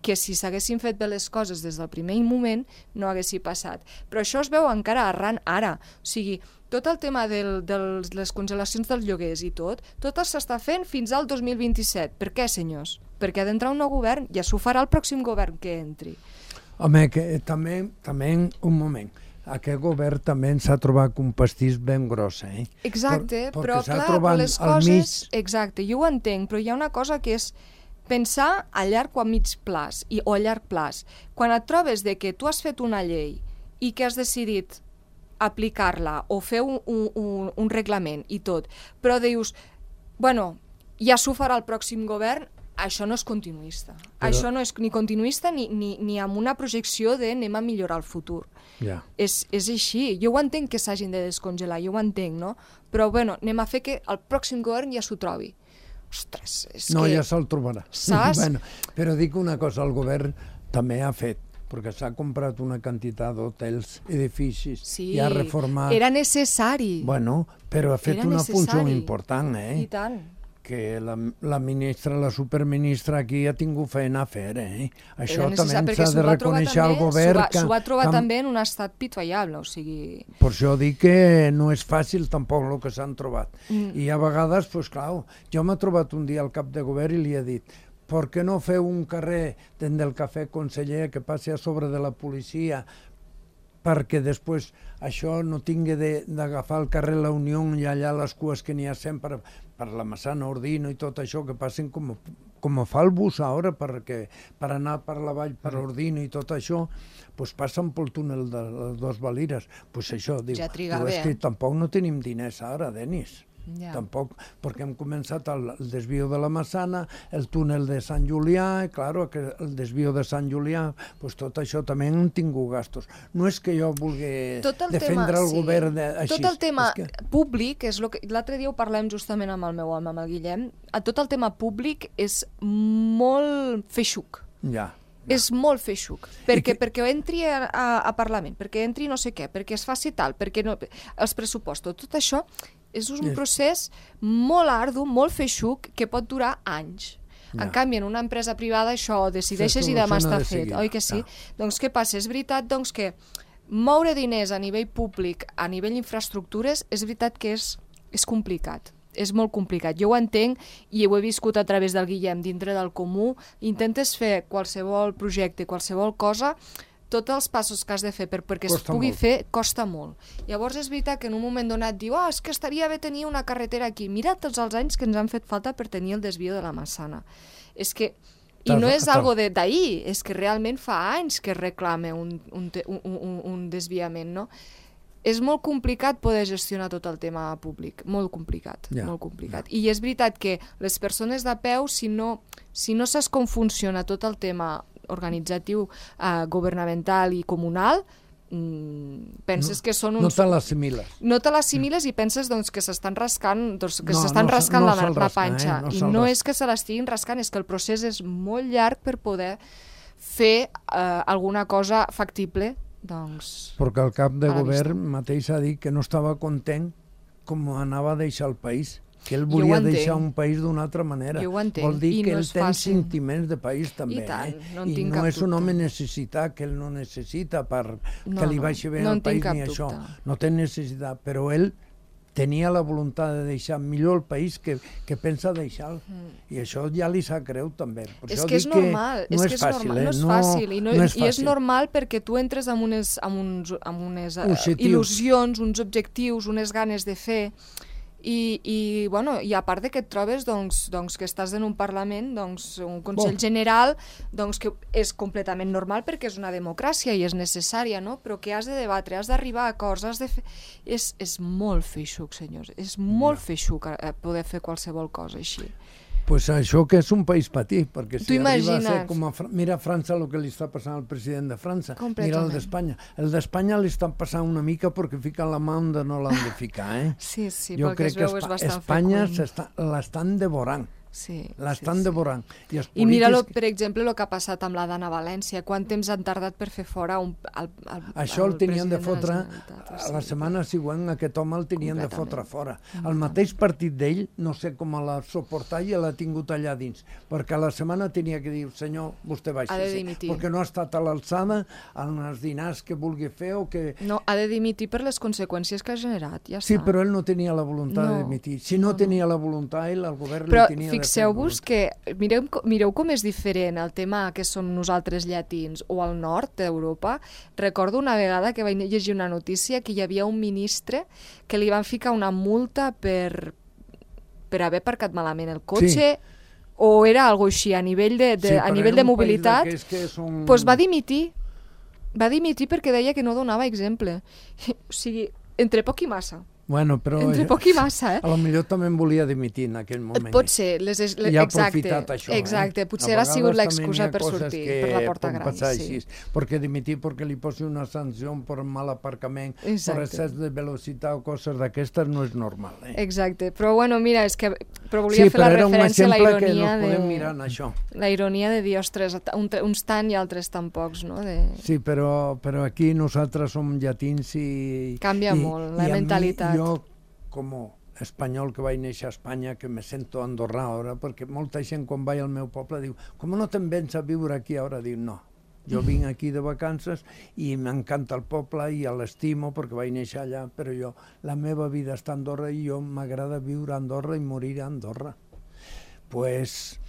que si s'haguessin fet bé les coses des del primer moment no haguessin passat. Però això es veu encara arran ara. O sigui, tot el tema de les congelacions dels lloguers i tot s'està fent fins al 2027. Per què, senyors? Perquè ha d'entrar un nou govern, ja s'ho farà el pròxim govern que entri. Home, que també un moment. Aquest govern també s'ha trobat un pastís ben gros, Exacte, però clar, les coses... Exacte, jo ho entenc, però hi ha una cosa que és pensar a llarg o a mig plaç, o a llarg plaç. Quan et trobes de que tu has fet una llei i que has decidit aplicar-la o fer un reglament i tot, però dius, bueno, ja s'ho farà el pròxim govern, això no és continuista. Això no és ni continuista ni amb una projecció de anem a millorar el futur. És així. Jo ho entenc que s'hagin de descongelar, jo ho entenc, no? Però bueno, anem a fer que el pròxim govern ja s'ho trobi. Ostres, és que... No, ja se'l trobarà. Saps? Però dic una cosa, el govern també ha fet, perquè s'ha comprat una quantitat d'hotels, edificis, i ha reformat... Sí, era necessari. Bueno, però ha fet una funció important, I tant. Que la ministra, la superministra aquí ha tingut feina a fer, Això també s'ha de reconèixer al govern. S'ho va trobar també en un estat pitoyable, o sigui... Per això dic que no és fàcil tampoc el que s'han trobat. I a vegades, doncs clar, jo m'he trobat un dia al cap de govern i li he dit per què no feu un carrer del Cafè Conseller que passi a sobre de la policia perquè després això no tingui d'agafar el carrer La Unió i allà les cues que n'hi ha sempre per la Massana, Ordino i tot això, que passen com fa el bus ara, per anar per la vall, per Ordino i tot això, doncs passen pel túnel de les Dos Valires. Doncs això, diu, és que tampoc no tenim diners ara, Denis. Tampoc, perquè hem començat el desvio de la Massana, el túnel de Sant Julià, i clar, el desvio de Sant Julià, doncs tot això també han tingut gastos. No és que jo vulgui defendre el govern així. Tot el tema públic, l'altre dia ho parlem justament amb el meu home, amb el Guillem, tot el tema públic és molt feixuc. És molt feixuc, perquè entri a Parlament, perquè entri no sé què, perquè es faci tal, perquè els pressupostos, tot això és un procés molt ardu, molt feixuc, que pot durar anys. En canvi, en una empresa privada això ho decideixes i demà està fet, oi que sí? Doncs què passa? És veritat que moure diners a nivell públic, a nivell infraestructures, és veritat que és complicat. És molt complicat. Jo ho entenc i ho he viscut a través del Guillem, dintre del comú. Intentes fer qualsevol projecte, qualsevol cosa, tots els passos que has de fer perquè es pugui fer costa molt. Llavors és veritat que en un moment donat diu és que estaria bé tenir una carretera aquí. Mira tots els anys que ens han fet falta per tenir el desvio de la Massana. És que... I no és algo d'ahir, és que realment fa anys que reclama un desviament, no? És molt complicat poder gestionar tot el tema públic, molt complicat, molt complicat. I és veritat que les persones de peu, si no saps com funciona tot el tema organitzatiu, governamental i comunal, penses que són uns... No te l'assimiles. No te l'assimiles i penses que s'estan rascant, la panxa. I no és que se l'estiguin rascant, és que el procés és molt llarg per poder fer alguna cosa factible. Perquè el cap de govern mateix ha dit que no estava content com anava a deixar el país, que ell volia deixar un país d'una altra manera. Vol dir que ell té sentiments de país també. I no és un home necessitat, que ell no necessita que li vagi bé al país ni això. No té necessitat, però ell tenia la voluntat de deixar millor el país que pensa deixar-lo. I això ja li sap greu també. És que és normal, no és fàcil. I és normal perquè tu entres amb unes il·lusions, uns objectius, unes ganes de fer, I a part de que et trobes que estàs en un Parlament, un Consell General, que és completament normal perquè és una democràcia i és necessària, no? Però que has de debatre, has d'arribar a acords, has de fer... És molt feixuc, senyors, és molt feixuc poder fer qualsevol cosa així. Pues això que és un país petit, perquè si arriba a ser com a... Mira a França el que li està passant al president de França, mira el d'Espanya. El d'Espanya li està passant una mica perquè fica la mà on no l'han de ficar, eh? Sí, jo crec que Espanya l'estan devorant. L'estan devorant. I mira, per exemple, el que ha passat amb la Dana València. Quant temps han tardat per fer fora el això el tenien de fotre, a la setmana següent aquest home el tenien de fotre fora. El mateix partit d'ell, no sé com l'ha suportat i l'ha tingut allà dins, perquè a la setmana tenia que dir, senyor, vostè baixa-se, perquè no ha estat a l'alçada en els dinars que vulgui fer o que... No, ha de dimitir per les conseqüències que ha generat, ja està. Sí, però ell no tenia la voluntat de dimitir. Si no tenia la voluntat, el govern li tenia de... Fixeu-vos que, mireu com és diferent el tema que som nosaltres llatins o al nord d'Europa. Recordo una vegada que vaig llegir una notícia que hi havia un ministre que li van ficar una multa per haver aparcat malament el cotxe, o era alguna cosa així, a nivell de mobilitat, doncs va dimitir. Va dimitir perquè deia que no donava exemple. O sigui, entre poc i massa. Bueno, però entre poc i massa, a lo millor també en volia dimitir en aquell moment. Pot ser, i ha aprofitat això. Exacte, potser ha sigut l'excusa per sortir per la porta gran. Perquè dimitir perquè li posi una sanció per mal aparcament, per excés de velocitat o coses d'aquestes no és normal. Exacte, però bueno, mira, és que volia fer la referència a la ironia la ironia de dir, ostres, uns tant i altres tan pocs, no? Sí, però aquí nosaltres som llatins i... Canvia molt la mentalitat. Jo, com a espanyol que vaig néixer a Espanya, que me sento andorrà ara, perquè molta gent quan vaig al meu poble diu, com no te'n vens a viure aquí ara? Diu, no, jo vinc aquí de vacances i m'encanta el poble i l'estimo perquè vaig néixer allà, però la meva vida està a Andorra i jo m'agrada viure a Andorra i morir a Andorra. Pues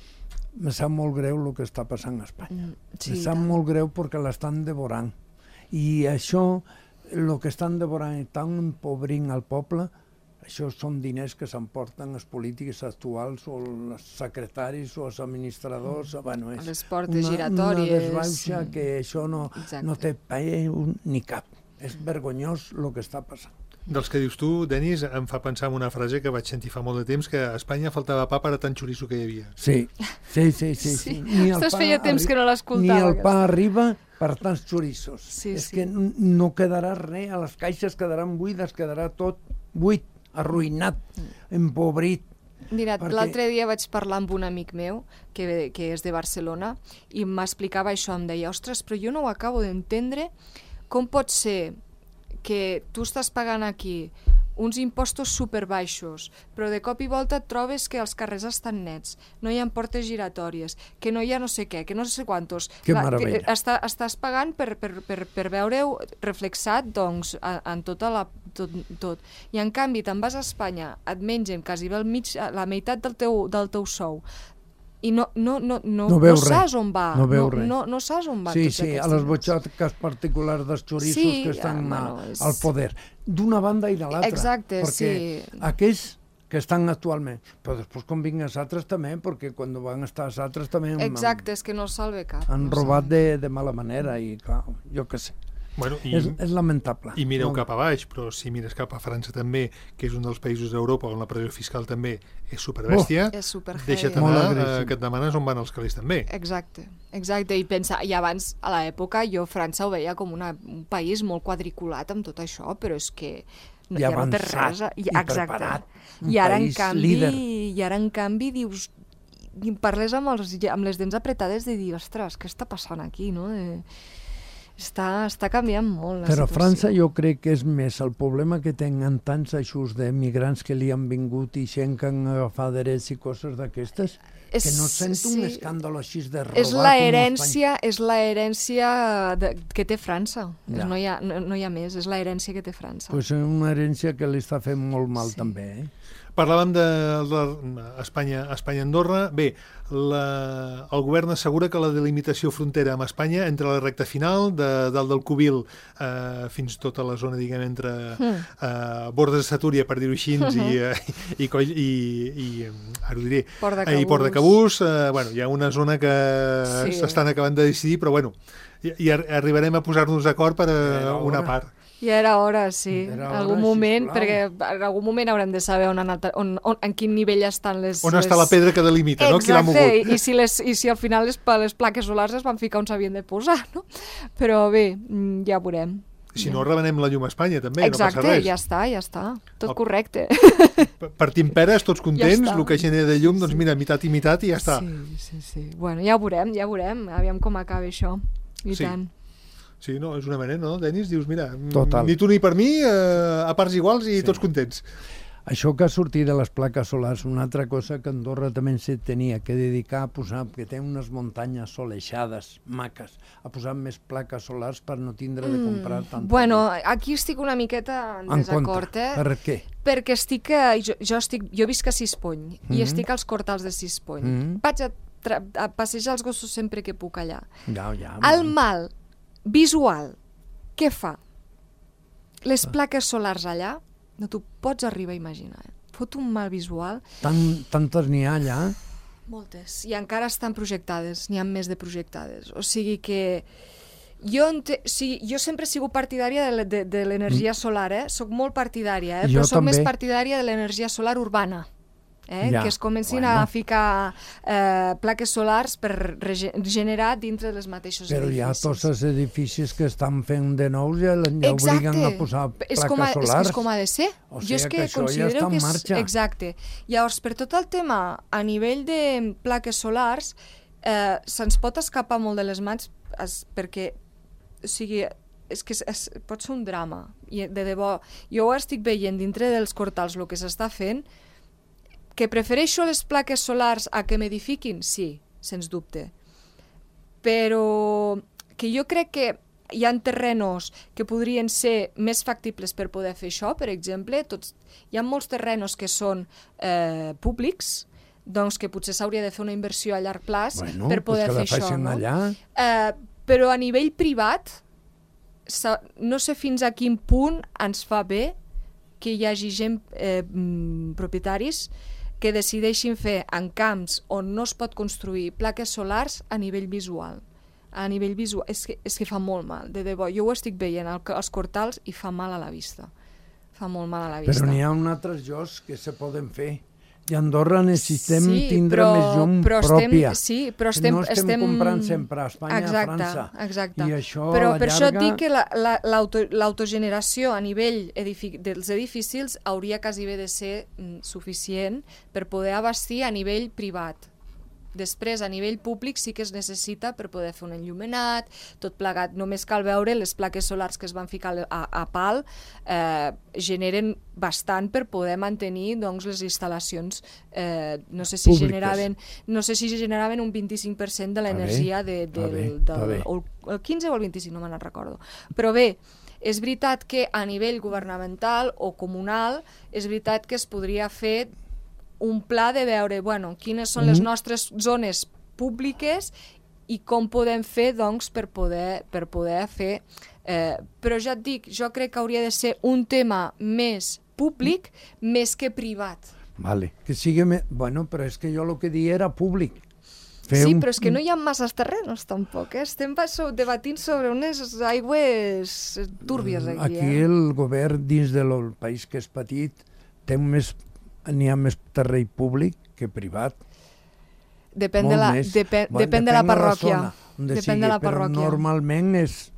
me sap molt greu el que està passant a Espanya. Me sap molt greu perquè l'estan devorant. I això... el que estan devorant i tan empobrint al poble, això són diners que s'emporten els polítics actuals o els secretaris o els administradors. Bueno, és les portes giratòries. Una desbaixa que això no té ni cap. És vergonyós el que està passant. Dels que dius tu, Denis, em fa pensar en una frase que vaig sentir fa molt de temps, que a Espanya faltava pa per a tant xoriço que hi havia. Sí. Ostres, feia temps que no l'escoltava. Ni el pa arriba per tants xorissos. És que no quedarà res, a les caixes quedaran buides, quedarà tot buit, arruïnat, empobrit. Mira, l'altre dia vaig parlar amb un amic meu, que és de Barcelona, i m'explicava això, em deia, ostres, però jo no ho acabo d'entendre, com pot ser que tu estàs pagant aquí uns impostos superbaixos, però de cop i volta et trobes que els carrers estan nets, no hi ha portes giratòries, que no hi ha no sé què, que no sé quantos. Que meravella. Estàs pagant per veure-ho reflexat, doncs, en tot. I en canvi, te'n vas a Espanya, et mengen quasi la meitat del teu sou, i no saps on va. No saps on va. Sí, a les butxaques particulars dels xorissos que estan al poder. D'una banda i de l'altra. Exacte, perquè aquells que estan actualment, però després quan vinguin els altres també, perquè quan van estar els altres també... Exacte, és que no salve cap. Han robat de mala manera i clar, jo què sé. Bueno, és lamentable. I mireu cap a baix, però si mires cap a França també, que és un dels països d'Europa on la pressió fiscal també és superbèstia, deixa't anar que et demanes on van els calés també. Exacte, i pensa, i abans a l'època jo França ho veia com un país molt quadriculat amb tot això, però és que ja no té res. I preparat. I ara en canvi dius, parles amb les dents apretades de dir, ostres, què està passant aquí, no? Està canviant molt la situació. Però a França jo crec que és més el problema que tenen tants eixos d'emigrants que li han vingut i gent que han agafat drets i coses d'aquestes, que no sento un escàndol així de robar. És l'herència que té França. No hi ha més, és l'herència que té França. Pues és una herència que li està fent molt mal també, Parlàvem d'Espanya-Andorra. Bé, el govern assegura que la delimitació frontera amb Espanya entre la recta final de dalt del Cubil fins tota la zona, diguem, entre Bordes de Satúria, per dir-ho així, i ara ho diré, i Port de Cabús, hi ha una zona que s'estan acabant de decidir, però i arribarem a posar-nos d'acord per una part. Ja era hora, sí, en algun moment, perquè en algun moment haurem de saber en quin nivell estan les... On està la pedra que delimita, no? Qui l'ha mogut. Exacte, i si al final les plaques solars es van ficar on s'havien de posar, no? Però bé, ja veurem. Si no, revenem la llum a Espanya, també, no passa res. Exacte, ja està, tot correcte. Partim peres, tots contents, el que genera de llum, doncs mira, mitat i mitat i ja està. Sí. Bueno, ja veurem, aviam com acaba això, i tant. Sí, no, és una manera, no, Denis? Dius, mira, total. Ni tu ni per mi, a parts iguals i tots contents. Això que ha sortit de les plaques solars, una altra cosa que Andorra també se tenia que dedicar a posar, que té unes muntanyes soleixades, maques, a posar més plaques solars per no tindre de comprar tant. Bueno, aquí estic una miqueta en desacord, Per què? Perquè jo visc a Sispony i estic als Cortals de Sispony. Vaig a passejar els gossos sempre que puc allà. El mal visual, què fa? Les plaques solars allà, no t'ho pots arribar a imaginar. Fot un mal visual. Tantes n'hi ha allà? Moltes. I encara estan projectades, n'hi ha més de projectades. O sigui que jo sempre he sigut partidària de l'energia solar, soc molt partidària, però soc més partidària de l'energia solar urbana. Que es comencin a ficar plaques solars per regenerar dintre dels mateixos edificis. Però hi ha tots els edificis que estan fent de nous i obliguen a posar plaques solars. És com ha de ser. O sigui que això ja està en marxa. Exacte. Llavors, per tot el tema a nivell de plaques solars, se'ns pot escapar molt de les mans perquè, o sigui, és que pot ser un drama. I de debò, jo ho estic veient dintre dels Cortals el que s'està fent. Que prefereixo les plaques solars a que m'edifiquin? Sí, sens dubte. Però que jo crec que hi ha terrenos que podrien ser més factibles per poder fer això, per exemple. Hi ha molts terrenos que són públics, doncs que potser s'hauria de fer una inversió a llarg plaç per poder fer això. No? Però a nivell privat, no sé fins a quin punt ens fa bé que hi hagi gent, propietaris, que decideixin fer en camps on no es pot construir plaques solars a nivell visual. A nivell visual, és que fa molt mal, de debò. Jo ho estic veient als Cortals i fa mal a la vista. Fa molt mal a la vista. Però n'hi ha altres llocs que se poden fer. I a Andorra necessitem tindre més llum pròpia. Sí, però no estem comprant sempre a Espanya i a França. Exacte. I això però per això et dic que l'autogeneració a nivell dels edificis hauria quasi bé de ser suficient per poder abastir a nivell privat. Després, a nivell públic, sí que es necessita per poder fer un enllumenat, tot plegat. Només cal veure les plaques solars que es van ficar a pal, generen bastant per poder mantenir les instal·lacions. No sé si generaven un 25% de l'energia el 15 o el 25, no me'n recordo. Però bé, és veritat que a nivell governamental o comunal, és veritat que es podria fer un pla de veure, quines són les nostres zones públiques i com podem fer, per poder fer. Però ja et dic, jo crec que hauria de ser un tema més públic més que privat. Vale, que sigui més... però és que jo el que dia era públic. Però és que no hi ha masses terrenos, tampoc. Estem debatint sobre unes aigües túrbies aquí. Aquí el govern, dins del país que és petit, n'hi ha més terreny públic que privat. Depèn de la parròquia. Però normalment és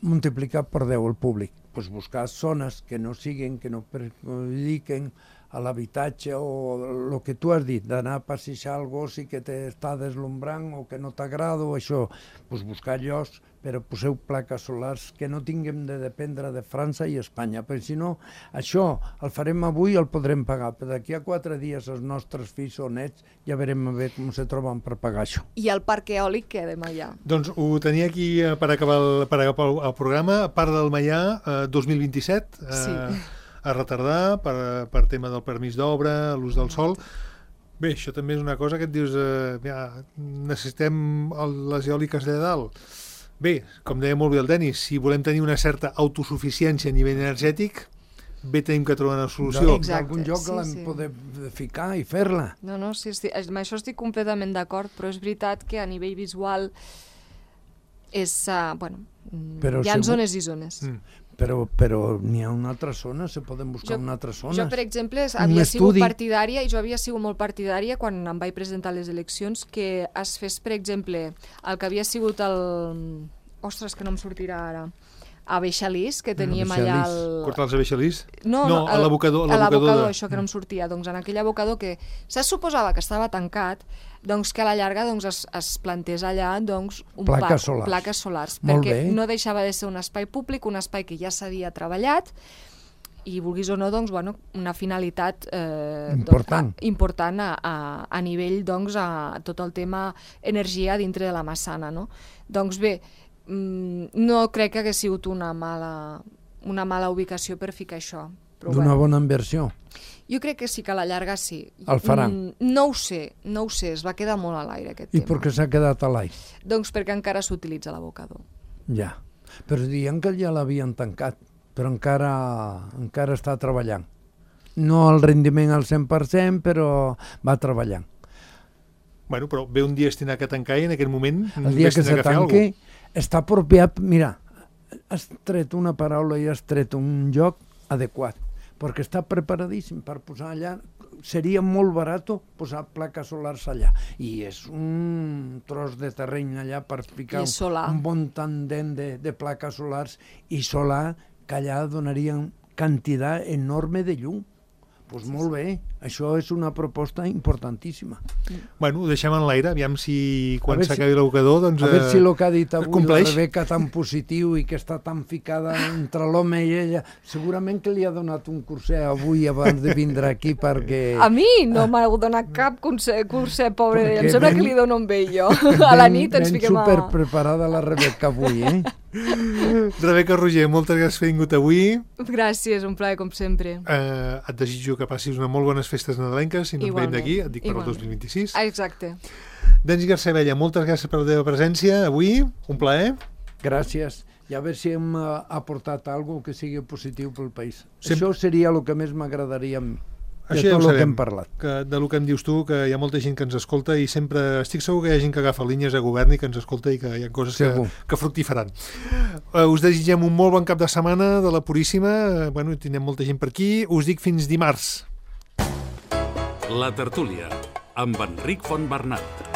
multiplicat per 10 el públic. Buscar zones que no perjudiquen a l'habitatge o el que tu has dit, d'anar a passejar el gos i que t'està deslumbrant o que no t'agrada o això, buscar llocs però poseu plaques solars que no tinguem de dependre de França i Espanya, perquè si no, això el farem avui i el podrem pagar, però d'aquí a 4 dies els nostres fills o nets ja veurem a veure com se troben per pagar això. I el parc eòlic queda allà. Doncs ho tenia aquí per acabar el programa, part del Maià 2027, a retardar per tema del permís d'obra, l'ús del sòl. Bé, això també és una cosa que et dius, necessitem les eòliques de dalt. Bé, com deia molt bé el Denis, si volem tenir una certa autosuficiència a nivell energètic, bé tenim que trobar una solució. D'algun lloc l'hem poder ficar i fer-la. No, sí, amb això estic completament d'acord, però és veritat que a nivell visual és, hi ha zones i zones. Però n'hi ha una altra zona, se poden buscar una altra zona. Jo, per exemple, havia sigut partidària, i jo havia sigut molt partidària quan em vaig presentar a les eleccions, que es fes, per exemple, el que havia sigut el... Ostres, que no em sortirà ara. A Beixalís, que teníem allà el... Cortals a Beixalís? No, a l'abocador. A l'abocador, això que no em sortia. Doncs en aquell abocador que se suposava que estava tancat, doncs que a la llarga es plantés allà plaques solars. Perquè no deixava de ser un espai públic, un espai que ja s'havia treballat, i vulguis o no, doncs, una finalitat important a nivell, doncs, a tot el tema energia dintre de la Massana, no? Doncs bé, no crec que hagués sigut una mala ubicació per ficar això. D'una bona inversió? Jo crec que sí, que a la llarga sí. El faran? No ho sé, es va quedar molt a l'aire aquest tema. I per què s'ha quedat a l'aire? Doncs perquè encara s'utilitza l'abocador. Ja, però diuen que ja l'havien tancat, però encara està treballant. No el rendiment al 100%, però va treballant. Bueno, però ve un dia estinar que tancar i en aquest moment... El dia que se tanqui està apropiat... Mira, has tret una paraula i has tret un lloc adequat, perquè està preparadíssim per posar allà. Seria molt barat posar plaques solars allà. I és un tros de terreny allà per ficar un bon tandem de plaques solars i solar, que allà donarien quantitat enorme de llum. Doncs molt bé, això és una proposta importantíssima. Bueno, ho deixem en l'aire, aviam si quan s'acabi l'abocador, doncs... A veure si el que ha dit avui la Rebeca tan positiu i que està tan ficada entre l'home i ella, segurament que li ha donat un curset avui abans de vindre aquí perquè... A mi no m'ha donat cap curset, pobre d'ella, em sembla que li dono un vell jo. A la nit ens fiquem a... Ben superpreparada la Rebeca avui, eh? Rebeca Roger, moltes gràcies per haver vingut avui. Gràcies, un plaer com sempre. Et desitjo que passis unes molt bones festes nadalenques, si no et veiem d'aquí, et dic per el 2026. Exacte. Denis Garcebella, moltes gràcies per la teva presència avui, un plaer. Gràcies, i a veure si hem aportat alguna cosa que sigui positiu pel país. Això seria el que més m'agradaria a mi. Això ja ho sabem, del que em dius tu, que hi ha molta gent que ens escolta i sempre estic segur que hi ha gent que agafa línies a govern i que ens escolta i que hi ha coses que fructifaran. Us desitgem un molt bon cap de setmana de la Puríssima. Bueno, tindrem molta gent per aquí. Us dic fins dimarts. La tertúlia, amb Enric Fontbernat.